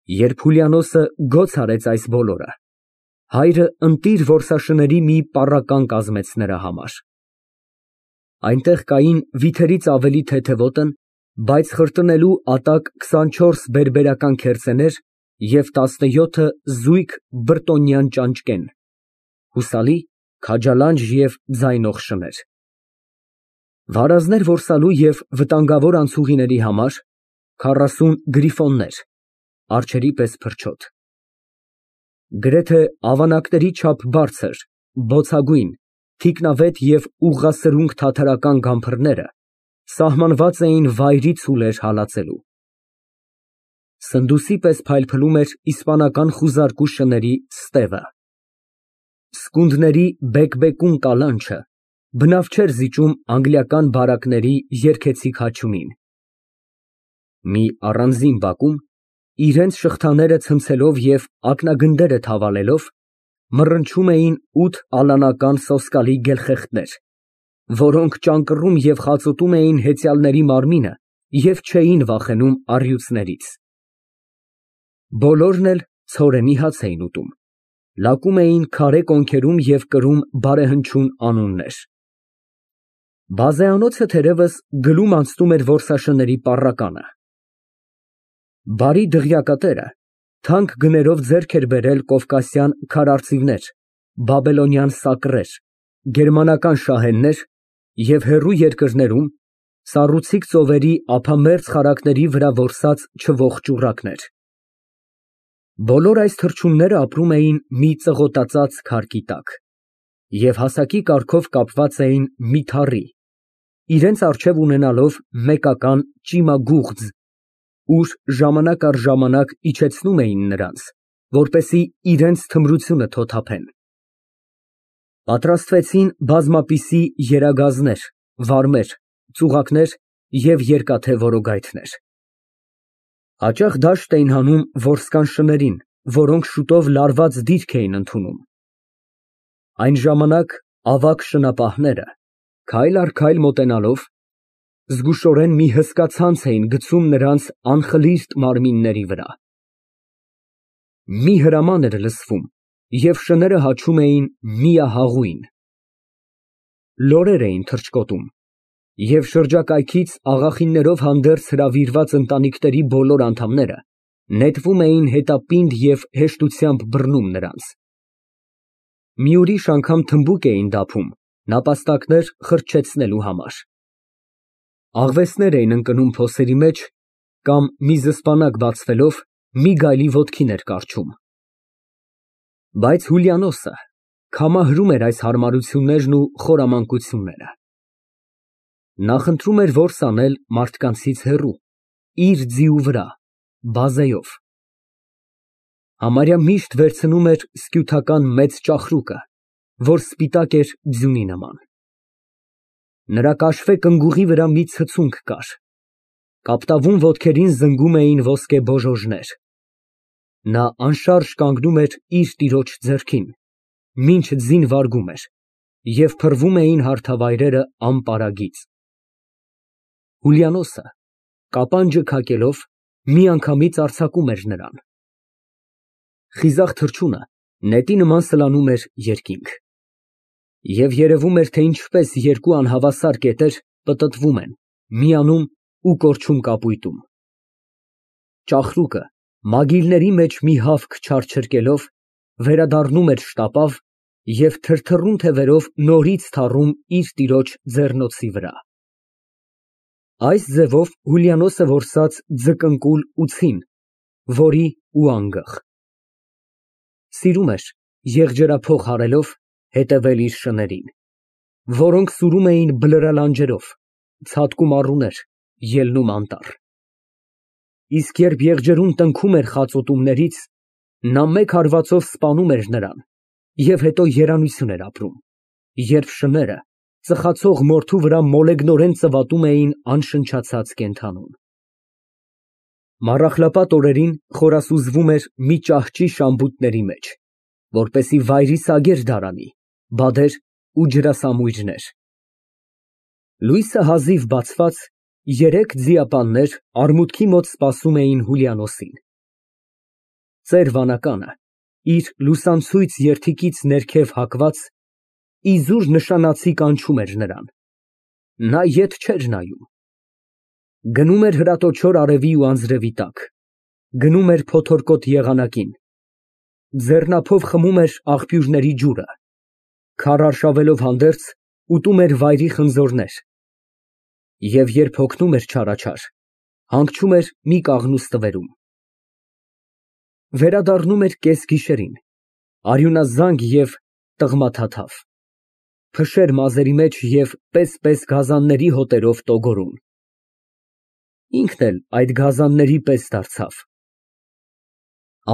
Երբ Հուլիանոսը գոց արեց այս բոլորը, հայրը ընտիր որսաշների մի պառական կազմեց նրա համար։ Այնտեղ կային վիթերից ավելի թեթևոտն, բայց խրտնելու ատակ 24 բերբերական քերծեներ և 17 զույգ բրտոնյան ճանճկեն, հուսալի, քաջալանջ և ձայնող շներ, վարազներ որսալու և վտանգավոր անցուղիների համար 40 գրիֆոններ, արջերի պես փրչոտ, գրեթե ավանակների չափ բարձր, բոցագույն, թիկնավետ և ուղղասրունգ թաթարական գամփրները սահմանված էին վայրի ցուլեր հալածելու։ Սնդուսի պես փայլփլում էր իսպանական խուզարկու շների ստևը։ Սկունդների բեկբեկուն կալանչը բնավ չէր զիջում անգլիական բարակների երգեցիկ հաչյունին։ Մի առանձին բակում, իրենց շղթաները ցնցելով և ակնագնդերը թավալելով, մռնչում էին 8 ալանական սոսկալի գելխեղդներ, որոնք ճանկռում և խածոտում էին հեծյալների մարմինը և չէին վախենում առյուծներից։ Բոլորն էլ ցորենի հաց էին ուտում, լակում էին քարե կոնքերում և կրում բարեհնչյուն անուններ։ Բազեանոցը թերևս գլում անցնում էր որսաշների պառականը։ Բարի դղյակատերը թանկ գներով ձեռք էր բերել կովկասյան քարարծիվներ, բաբելոնյան սակռեր, գերմանական շահեններ և հեռու երկրներում սառուցիկ ծովերի ափամերձ խարակների վրա որսած չվող ճուռակներ։ Բոլոր այս թռչունները ապրում էին մի ծղոտածած քարկի տակ և հասակի կարգով կապված էին մի թառի, իրենց առջև ունենալով մեկական ճիմագուղձ, ուր ժամանակ առ ժամանակ իջեցնում էին նրանց, որպեսզի իրենց թմրությունը թոթափեն։ Պատրաստվեցին բազմապիսի երագազներ, վարմեր, ծուղակներ և երկաթե որոգայթներ։ Հաճախ դաշտ էին հանում որսկան շներին, որոնք շուտով լարված դիրք էին ընդունում։ Այն ժամանակ ավագ շնապահները, քայլ առ քայլ մոտենալով, զգուշորեն մի հսկա ցանց էին գցում նրանց անխլիրտ մարմինների վրա։ Մի հրաման էր լսվում, և շները հաչում էին միահաղույն։ Լորեր էին թռչկոտում, և շրջակայքից աղախիններով հանդերձ հրավիրված ընտանիքների բոլոր անդամները նետվում էին հետապինդ և հեշտությամբ բռնում նրանց։ Մի ուրիշ անգամ թմբուկ էին դափում նապաստակներ խրճեցնելու համար։ Աղվեսներ էին ընկնում փոսերի մեջ կամ մի զսպանակ բացվելով մի գայլի ոտքին էր կառչում։ Բայց Հուլիանոսը կամահրում էր այս հարմարություններն ու խորամանկությունները։ Նա խնդրում էր որս անել մարդկանցից հեռու, իր ձիու վրա, բազեով։ Համարյա միշտ վերցնում էր սկյութական մեծ ծաղրուկը, որ սպիտակ էր ձյունի նման։ Նրա կաշվե կնգուղի վրա մի ցցունք կար, կապտավուն ոտքերին զնգում էին ոսկե բոժոժներ։ Նա անշարժ կանգնում էր իր տիրոջ ձեռքին, մինչ ձին վարգում էր, և փռվում էին հարթավայրերը անպարագիծ։ Հուլիանոսը, կապանջը քակելով, միանգամից արձակում էր նրան։ Խիզախ թռչունը նետի նման սլանում էր երկինք։ Եվ երևում էր, թե ինչպես երկու անհավասար կետեր պտտվում են, միանում ու կորչում կապույտում։ Ծաղրուկը մագիլների մեջ մի հավք չարչրկելով, վերադառնում էր շտապավ և թրթռուն թևերով նորից թառում իր տիրոջ ձեռնոցի վրա։ Այս ձևով Հուլիանոսը որսաց ձկնկուլ ու ցին, որի ու անգղ։ Սիրում էր, եղջերափող հարելով, հետևել իր շներին, որոնք սուրում էին բլրալանջերով, ցատկում առուներ, ելնում անտառ։ Իսկ երբ եղջերուն տնքում էր խածոտումներից, նա մեկ հարվածով սպանում էր նրան և հետո երանություն էր ապրում, երբ շները ծխացող մորթու վրա մոլեգնորեն ծվատում էին անշնչացած կենդանուն։ Մառախլապատ օրերին խորասուզվում էր մի ճահճի շամբուտների մեջ, որպեսզի վայրի սագեր դարանի, բադեր ու ջրասամույրներ։ Լույսը հազիվ բացված, երեք ձիապաններ արմուտքի մոտ սպասում էին Հուլիանոսին։ ծեր վանականը, իր լուսանցույց երդիկից ներքև հագված, իզուր նշանացի կանչում էր նրան։ Նա ետ չէր նայում։ Գնում էր հրատոչոր արևի ու անձրևի տակ, գնում էր փոթորկոտ եղանակին, ձեռնափով խմում էր աղբյուրների ջուրը, քարարշավելով հանդերձ, ուտում էր վայրի խնձորներ և երբ հոգնում էր չարաչար, հանգչում էր մի կաղնու ստվերում։ Վերադառնում էր կեսգիշերին, արյունազանգ և տղմաթաթավ, փշեր մազերի մեջ և պես գազանների հոտերով տոգորում։ Ինքն էլ այդ գազանների պես դարձավ։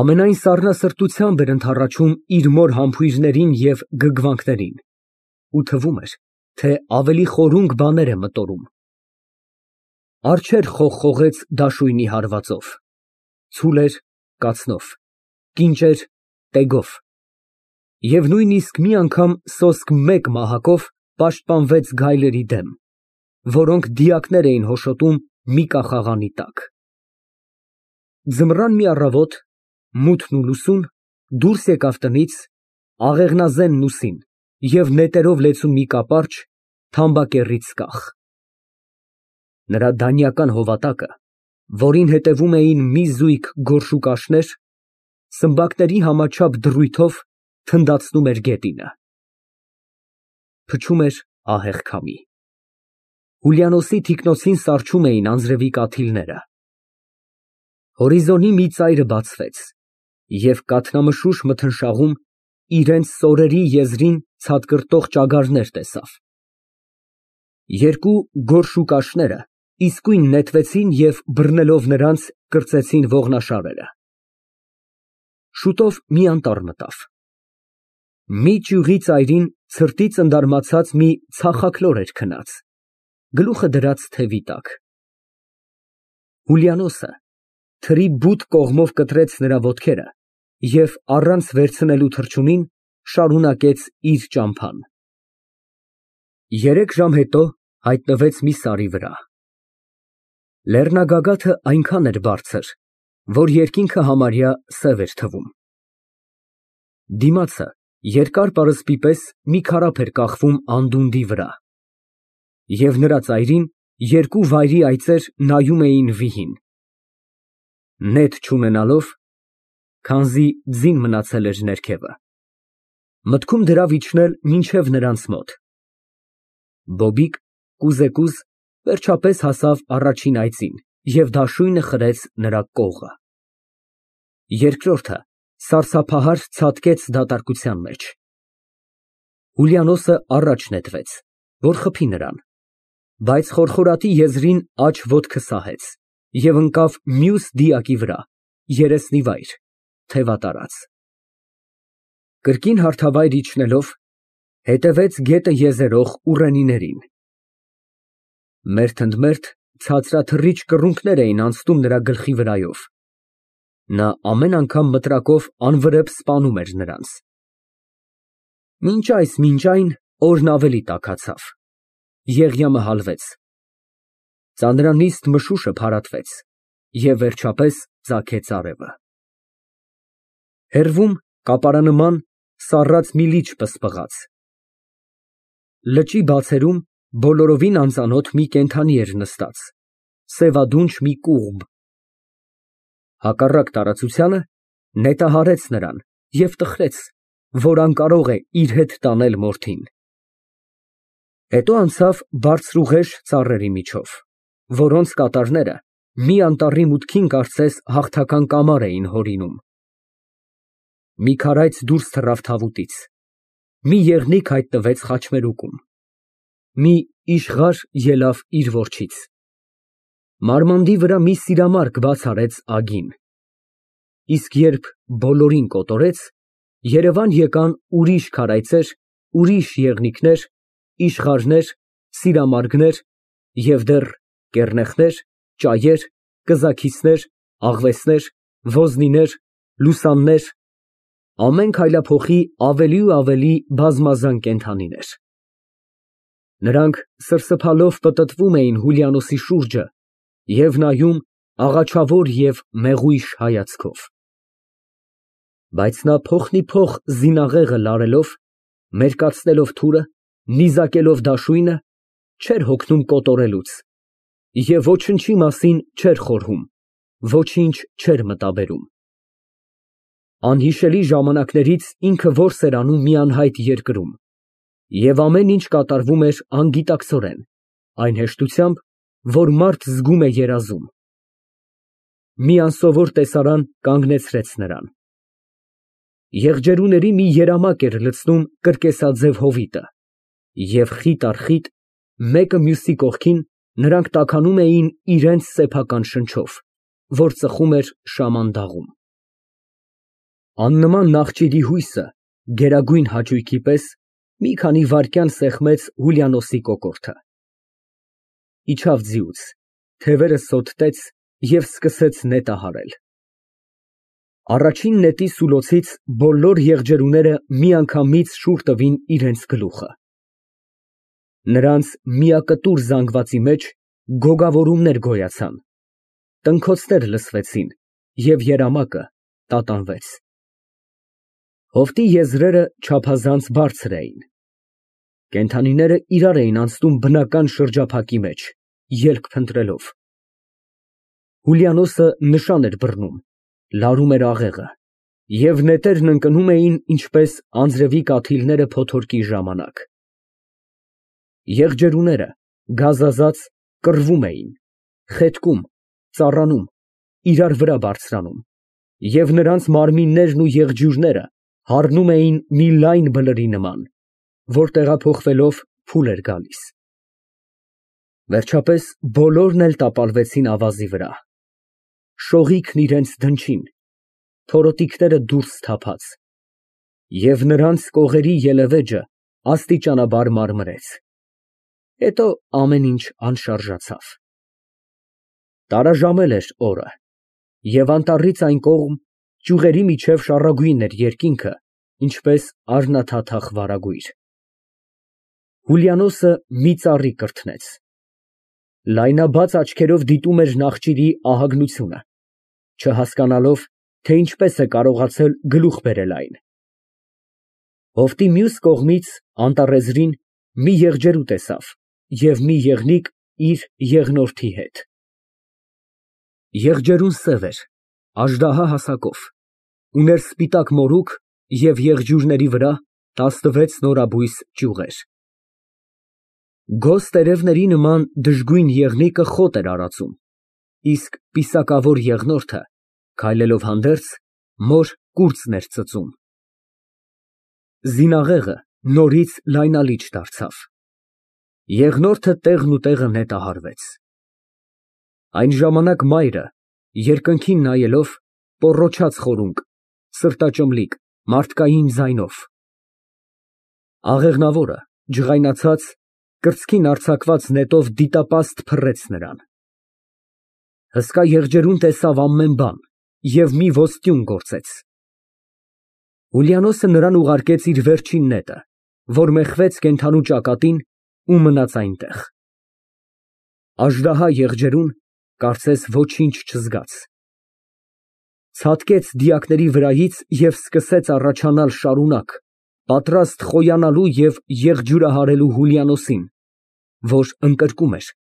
Ամենայն սառնասրտությամբ էր ընդառաջում իր մոր համբույրներին և գգվանքներին ու թվում էր, թե ավելի խորունկ բաներ է մտորում։ Արջեր խողխողեց դաշույնի հարվածով, ցուլեր կացնով, կինճեր տեգով և նույնիսկ մի անգամ սոսկ մեկ մահակով պաշտպանվեց գայլերի դեմ, որոնք դիակներ էին հոշոտում մի կախաղանի տակ։ Ձմռան մի առավոտ, մութն ու լուսուն, դուրս եկավ տնից, աղեղնազեն լուսին և նետերով լեցուն մի կապարճ, թամբակեռից կախ։ Նրա դանյական հովատակը, որին հետևում էին մի զույգ գորշուկաշներ, սմբակների համաչափ դրույթով թնդացնում էր գետինը։ Փչում էր ահեղ քամի։ Հուլիանոսի թիկնոցին սառչում էին անձրևի կաթիլները։ Հորիզոնի մի ծայրը բացվեց, և կաթնամշուշ մթնշաղում իրենց սորերի եզրին ցատկրտող ճագարներ տեսավ։ Երկու գորշուկաշները իսկույն նետվեցին և բռնելով նրանց կրծեցին ողնաշարերը։ Շուտով մի անտառ մտավ։ Մի ճյուղի ծայրին ցրտի ծնդարմացած մի ցախաքլոր էր քնած, գլուխը դրած թևի տակ։ Հուլիանոսը թրի բութ կողմով կտրեց նրա ոտքերը և առանց վերցնելու թռչունին շարունակեց իր ճամփան։ 3 ժամ հետո հայտնվեց մի սարի վրա։ Լեռնագագաթը այնքան էր բարձր, որ երկինքը համարյա սև էր թվում։ Դիմացը երկար պարսպի պես մի քարափ էր կախվում անդունդի վրա, և նրա ծայրին երկու վայրի այծեր նայում էին վիհին։ Նետ չունենալով, քանզի ձին մնացել էր ներքևը, մտքում դրավ իջնել մինչև նրանց մոտ։ Բոբիկ կուզեկուզ վերջապես հասավ առաջին այծին և դաշույնը խրեց նրա կողը։ Երկրորդը սարսափահար ցատկեց դատարկության մեջ։ Հուլիանոսը առաջ նետվեց, որ խփի նրան, բայց խորխորատի եզրին աջ ոտքը սահեց և ընկավ մյուս դիակի վրա, երեսնիվայր, թևատարած։ Կրկին հարթավայր իջնելով, հետևեց գետը եզերող ուռենիներին։ Մերթ ընդ մերթ ցածրաթռիչ կռունկներ էին անցնում նրա գլխի վրայով։ Նա ամեն անգամ մտրակով անվրեպ սպանում էր նրանց։ Մինչ այն օրն ավելի տաքացավ, Եղիամը հալվեց, ծանրանիստ մշուշը փարատվեց և վերջապես ծագեց արևը։ Հեռվում կապարանման սառած մի լիճ պսպղաց։ Լճի բացերում բոլորովին անծանոթ մի կենդանի էր նստած, սևադունչ մի կուղբ։ Հակառակ տարածությանը նետահարեց նրան և տխրեց, որ անկարող է իր հետ տանել մորթին։ Հետո անցավ բարձրուղեշ ծառերի միջով, որոնց կատարները մի անտառի մուտքին կարծես հաղթական կամար էին հորինում։ Մի քարայծ դուրս թռավ թավուտից, մի եղնիկ հայտնվեց խաչմերուկում, մի իշխղար ելավ իր որջից։ Մարմանդի վրա մի սիրամարգ բաց արեց ագին, իսկ երբ բոլորին կոտորեց, երևան եկան ուրիշ քարայծեր, ուրիշ եղնիկներ, իշխղարներ, սիրամարգներ և դեռ կեռնեխներ, ճայեր, կզաքիցներ, աղվեսներ, ոզնիներ, լուսաններ, ամեն քայլափոխի ավելի ու ավելի բազմազան կենդանիներ։ Նրանք սրսփալով պտտվում էին Հուլիանոսի շուրջը և նայում աղաչավոր և մեղույշ հայացքով։ Բայց նա փոխնիփոխ զինաղեղը լարելով, մերկացնելով թուրը, նիզակելով դաշույնը, չէր հոգնում կոտորելուց և ոչնչի մասին չէր խորհում, ոչինչ չէր մտաբերում։ Անհիշելի ժամանակներից ինքը որս էր անում մի անհայտ երկրում, և ամեն ինչ կատարվում էր անգիտակցորեն, այն հեշտությամբ, որ մարդ զգում է երազում։ Մի անսովոր տեսարան կանգնեցրեց նրան։ Եղջերուների մի երամակ էր լցնում կրկեսաձև հովիտը, և խիտ առ խիտ, մեկը մյուսի կողքին, նրանք տաքանում էին իրենց սեփական շնչով, որ ծխում էր շամանդաղում։ Աննման նախճիրի հույսը, գերագույն հաճույքի պես, մի քանի վայրկյան սեղմեց Հուլիանոսի կոկորդը։ Իջավ ձիուց, թևերը սոտտեց և սկսեց նետահարել։ Առաջին նետի սուլոցից բոլոր եղջերուները միանգամից շուռ տվին իրենց գլուխը։ Նրանց միակտուր զանգվածի մեջ գոգավորումներ գոյացան, տնքոցներ լսվեցին և երամակը տատանվեց։ Հովտի եզրերը չափազանց բարձր էին։ Կենդանիները իրար էին անցնում բնական շրջափակի մեջ, ելք փնտրելով։ Հուլիանոսը նշան էր բռնում, լարում էր աղեղը, և նետերն ընկնում էին ինչպես անձրևի կաթիլները փոթորկի ժամանակ։ Եղջերուները, գազազած, կռվում էին, խետկում, ծառանում, իրար վրա բարձրանում, և նրանց մարմիններն ու եղջյուրները հառնում էին մի լայն բլրի նման, որ տեղափոխվելով փուլ էր գալիս։ Վերջապես բոլորն էլ տապալվեցին ավազի վրա, շողիքն իրենց դնչին, փորոտիքները դուրս թափած, և նրանց կողերի ելևէջը աստիճանաբար մարմրեց, հետո ամեն ինչ անշարժացավ։ Տարաժամել էր օրը, և անտառից այն կողմ ճյուղերի միջև շառագույն էր երկինքը, ինչպես առնաթաթախ վարագույր։ Հուլիանոսը մի ծառի կրթնեց։ Լայնաբաց աչքերով դիտում էր նախճիրի ահագնությունը, չհասկանալով, թե ինչպես է կարողացել գլուխ բերել այն։ Հովտի մյուս կողմից անտառեզրին մի եղջերու տեսավ և մի եղնիկ իր եղնորդի հետ։ Եղջերուն սև էր, աժդահա հասակով, ուներ սպիտակ մորուք և եղջյուրների վրա 16 նորաբույս ճյուղեր։ Գոզ տերևների նման դժգույն եղնիկը խոտ էր արածում, իսկ պիսակավոր եղնորդը, քայլելով հանդերձ, մոր կուրծն էր ծծում։ Զինաղեղը նորից լայնալիճ դարձավ։ Եղնորդը տեղնուտեղը նետահարվեց։ Այն ժամանակ մայրը, երկնքին նայելով, պոռոչաց խորունկ, սրտաճմլիկ, մարդկային ձայնով։ Աղեղնավորը, ջղայնացած, կրծքին արձակված նետով դիտապաստ փռեց նրան։ Հսկա եղջերուն տեսավ ամեն բան և մի ոսტյուն գործեց։ Հուլիանոսը նրան ուղարկեց իր վերջին նետը, որ մեխվեց կենդանու ճակատին ու մնաց այնտեղ։ Աժդահա եղջերուն, կարծես ոչինչ չզգաց, ցատկեց դիակների վրայից և սկսեց առաջանալ շարունակ, պատրաստ խոյանալու և եղջյուրահարելու Հուլիանոսին, որ ընկրկում էր,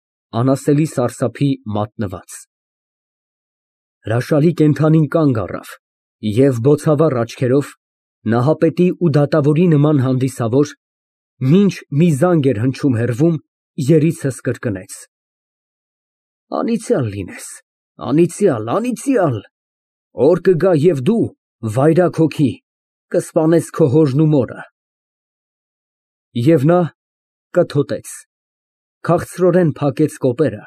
անասելի սարսափի մատնված։ Հրաշալի կենդանին կանգ առավ և բոցավառ աչքերով, նահապետի ու դատավորի նման հանդիսավոր, մինչ մի զանգ էր հնչում հեռվում, երիցս կրկնեց. «Անիծյալ լինես, անիծյալ, անիծյալ, օր կգա և դու, վայրագ հոգի, կսպանես քո հորն ու մորը»։ Եվ նա կթոտեց, քաղցրորեն փակեց կոպերը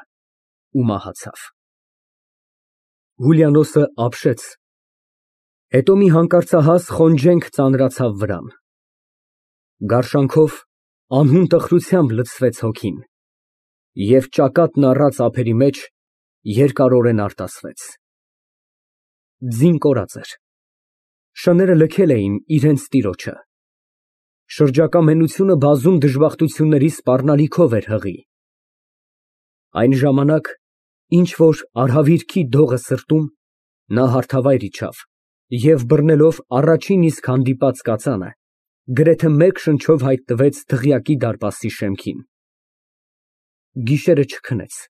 ու մահացավ։ Հուլիանոսը ապշեց, հետո մի հանկարծահաս խոնջենք ծանրացավ վրան։ Գարշանքով, անհուն տխրությամբ լցվեց հոգին, և ճակատն առած ափերի մեջ երկարորեն արտասվեց։ Ձին կորած էր, շները լքել էին իրենց տիրոջը, շրջակա մենությունը բազում դժբախտությունների սպառնալիքով էր հղի։ Այն ժամանակ, ինչ որ արհավիրքի դողը սրտում, նա հարթավայր իջավ և բռնելով առաջին իսկ հանդիպած կածանը, գրեթե մեկ շնչով հայտնվեց դղյակի դարպասի շեմքին։ Գիշերը չքնեց։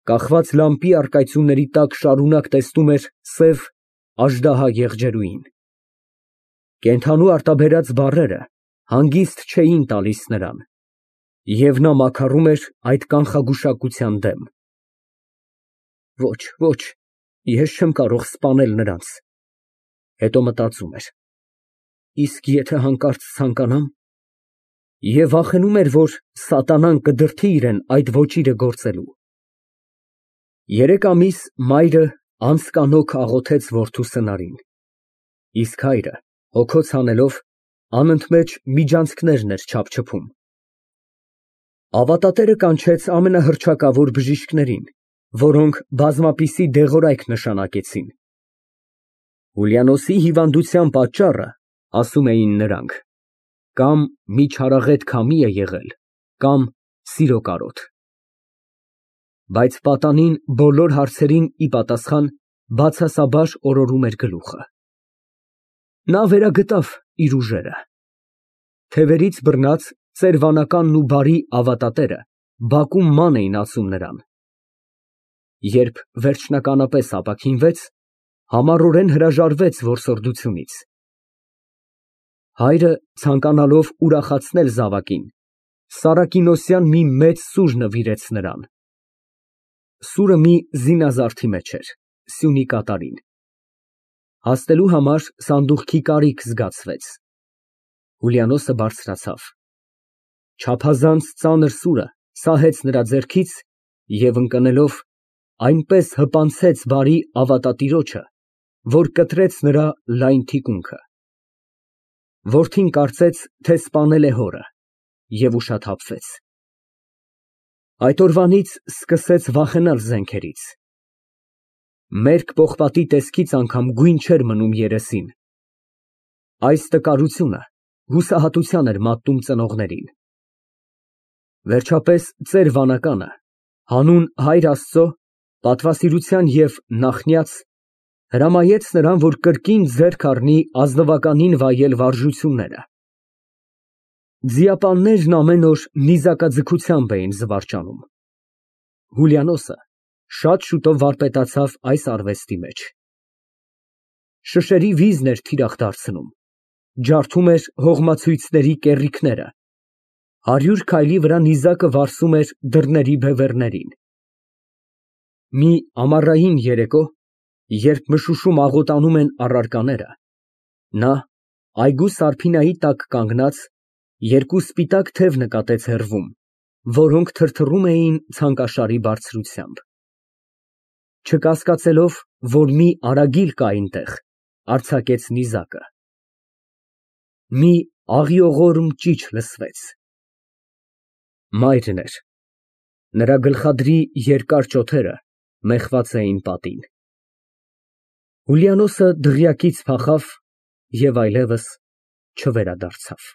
Կախված լամպի առկայծյունների տակ շարունակ տեսնում էր սև աժդահա եղջերուին։ Կենդանու արտաբերած բառերը հանգիստ չէին տալիս նրան, և նա մաքարում էր այդ կանխագուշակության դեմ։ Ոչ, ոչ, ես չեմ կարող սպանել նրանց, հետո մտածում էր, իսկ եթե հանկարծ ցանկանամ, և վախենում էր, որ սատանան կդրդի իրան այդ ոճիրը գործելու։ 3 ամիս մայրը անձկանոք աղոթեց որդու սնարին, իսկ հայրը, հոգոց հանելով, անընդմեջ միջանցքներն էր չափչփում։ Ավատատերը կանչեց ամենահռչակավոր բժիշկներին, որոնք բազմապիսի դեղորայք նշանակեցին։ Հուլիանոսի հիվանդության պատճառը, ասում էին նրանք, կամ մի չարաղետ քամի է եղել, կամ սիրո կարոտ։ Բայց պատանին բոլոր հարցերին ի պատասխան բացասաբար օրորում էր գլուխը։ Նա վերագտավ իր ուժերը։ Թևերից բռնած ծերվանականն ու բարի ավատատերը բակում ման էին ածում նրան։ Երբ վերջնականապես ապաքինվեց, համառորեն հրաժարվեց որսորդությունից։ Հայրը, ցանկանալով ուրախացնել զավակին, սարակինոսյան մի մեծ սուր նվիրեց նրան։ Սուրը մի զինազարդի մեջ էր, սյունի կատարին։ Հասնելու համար սանդուղքի կարիք զգացվեց։ Հուլիանոսը բարձրացավ։ Չափազանց ծանր սուրը սահեց նրա ձեռքից և ընկնելով այնպես հպանցեց բարի ավատատիրոջը, որ կտրեց նրա լայն թիկունքը։ Որդին կարծեց, թե սպանել է հորը և ուշաթափվեց։ Այդ օրվանից սկսեց վախենալ զենքերից։ Մերկ պողպատի տեսքից անգամ գույն չէր մնում երեսին։ Այս տկարությունը հուսահատության էր մատնում ծնողներին։ Վերջապես ծեր վանականը, հանուն Հայր Աստծո, պատվասիրության և նախնյաց, հրամայեց նրան, որ կրկին ձեռք առնի ազնվականին վայել վարժությունները։ Ձիապաններն ամեն օր նիզակաձգությամբ էին զվարճանում։ Հուլիանոսը շատ շուտով վարպետացավ այս արվեստի մեջ։ Շշերի վիզն էր թիրախ դարձնում, ջարդում էր հողմացույցների կեռիկները, 100 քայլի վրա նիզակը վարսում էր դռների բևեռներին։ Մի ամառային երեկո, երբ մշուշում աղոտանում են առարկաները, նա, այգու սարփինայի տակ կանգնած, 2 սպիտակ թև նկատեց հեռվում, որոնք թրթռում էին ցանկաշարի բարձրությամբ։ Չկասկածելով, որ մի արագիլ կա այնտեղ, արձակեց նիզակը։ Մի աղիողորմ ճիչ լսվեց։ Մայրն էր։ Նրա գլխադրի երկար ճոթերը մեխված էին պատին։ Հուլիանոսը դղյակից փախավ և այլևս չվերադարձավ։